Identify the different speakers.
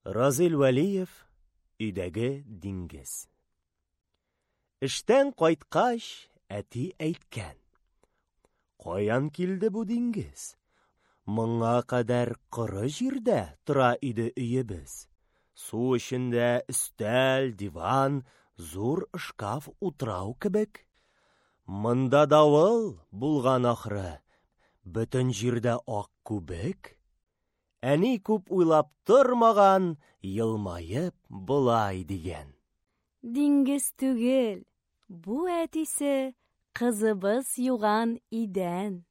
Speaker 1: Разил Вәлиев Өйдәге диңгез. Эштән кайткач, әти әйткән: Каян килде бу диңгез? Моңа кадәр коры җирдә тора иде өебез. Су эчендә өстәл, диван, зур шкаф утрау кебек. Монда давыл булган ахры, бөтен җирдә ак күбек. Әни күп уйлап тормаган, елмаеп болай дигән:
Speaker 2: Диңгез түгел, бу, әтисе, кызыбыз юган идән.